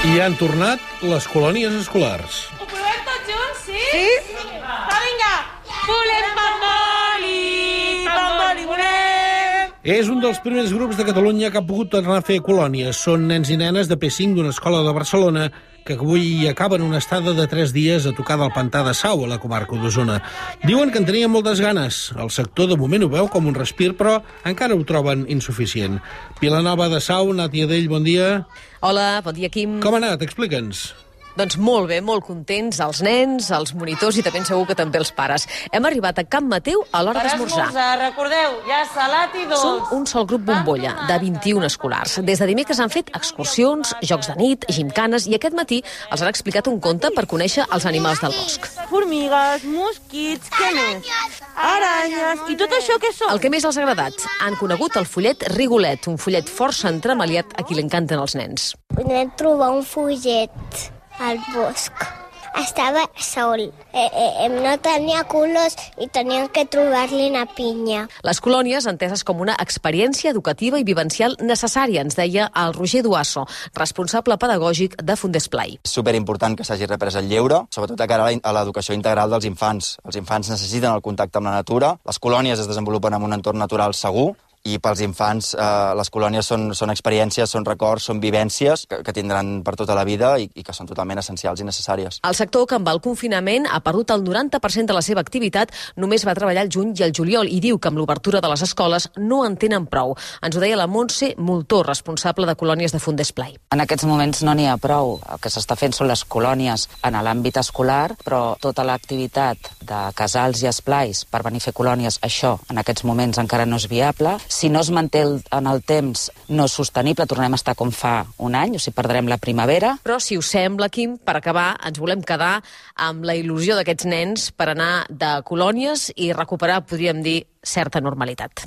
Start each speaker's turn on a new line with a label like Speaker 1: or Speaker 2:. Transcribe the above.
Speaker 1: I han tornat les colònies escolars.
Speaker 2: Ho provem tots junts, sí? Sí? Va, vinga! Volem pamboli, pamboli volem!
Speaker 1: És un dels primers grups de Catalunya que ha pogut tornar a fer colònies. Són nens i nenes de P5 d'una escola de Barcelona que avui acaben una estada de 3 dies a tocar del pantà de Sau, a la comarca d'Osona. Diuen que en tenien moltes ganes. El sector de moment ho veu com un respir, però encara ho troben insuficient. Vilanova de Sau, Nàtia Dell, bon dia.
Speaker 3: Hola, bon dia, Quim.
Speaker 1: Com ha anat? Explica'ns.
Speaker 3: Doncs molt bé, molt contents, els nens, els monitors i també segur que també els pares. Hem arribat a Can Mateu a l'hora d'esmorzar.
Speaker 2: Recordeu, ja salat i dolç.
Speaker 3: Som un sol grup bombolla, de 21 escolars. Des de dimecres han fet excursions, jocs de nit, gimcanes, i aquest matí els han explicat un conte per conèixer els animals del bosc.
Speaker 2: Formigues, mosquits, què més? Aranyes, i tot això què són?
Speaker 3: El que més els ha agradat, han conegut el follet Rigolet, un follet força entremaliat a qui li encanten els nens.
Speaker 4: Vam trobar un follet al bosc. Estava sol. No tenia colors i teníem que trobar-li una pinya.
Speaker 3: Les colònies, enteses com una experiència educativa i vivencial necessària, ens deia el Roger Duasso, responsable pedagògic de Fundesplai.
Speaker 5: És superimportant que s'hagi reprès el lleure, sobretot de cara a l'educació integral dels infants. Els infants necessiten el contacte amb la natura, les colònies es desenvolupen en un entorn natural segur, i pels infants les colònies són experiències, són records, són vivències que tindran per tota la vida i que són totalment essencials i necessàries.
Speaker 3: El sector que amb el confinament ha perdut el 90% de la seva activitat, només va treballar el juny i el juliol i diu que amb l'obertura de les escoles no en tenen prou. Ens ho deia la Montse Moltó, responsable de colònies de Fundesplai.
Speaker 6: En aquests moments no n'hi ha prou. El que s'està fent són les colònies en l'àmbit escolar, però tota l'activitat de casals i esplais per venir a fer colònies, això en aquests moments encara no és viable. Si no es manté en el temps no sostenible, tornem a estar com fa un any, o sigui, perdrem la primavera.
Speaker 3: Però, si us sembla, Quim, per acabar, ens volem quedar amb la il·lusió d'aquests nens per anar de colònies i recuperar, podríem dir, certa normalitat.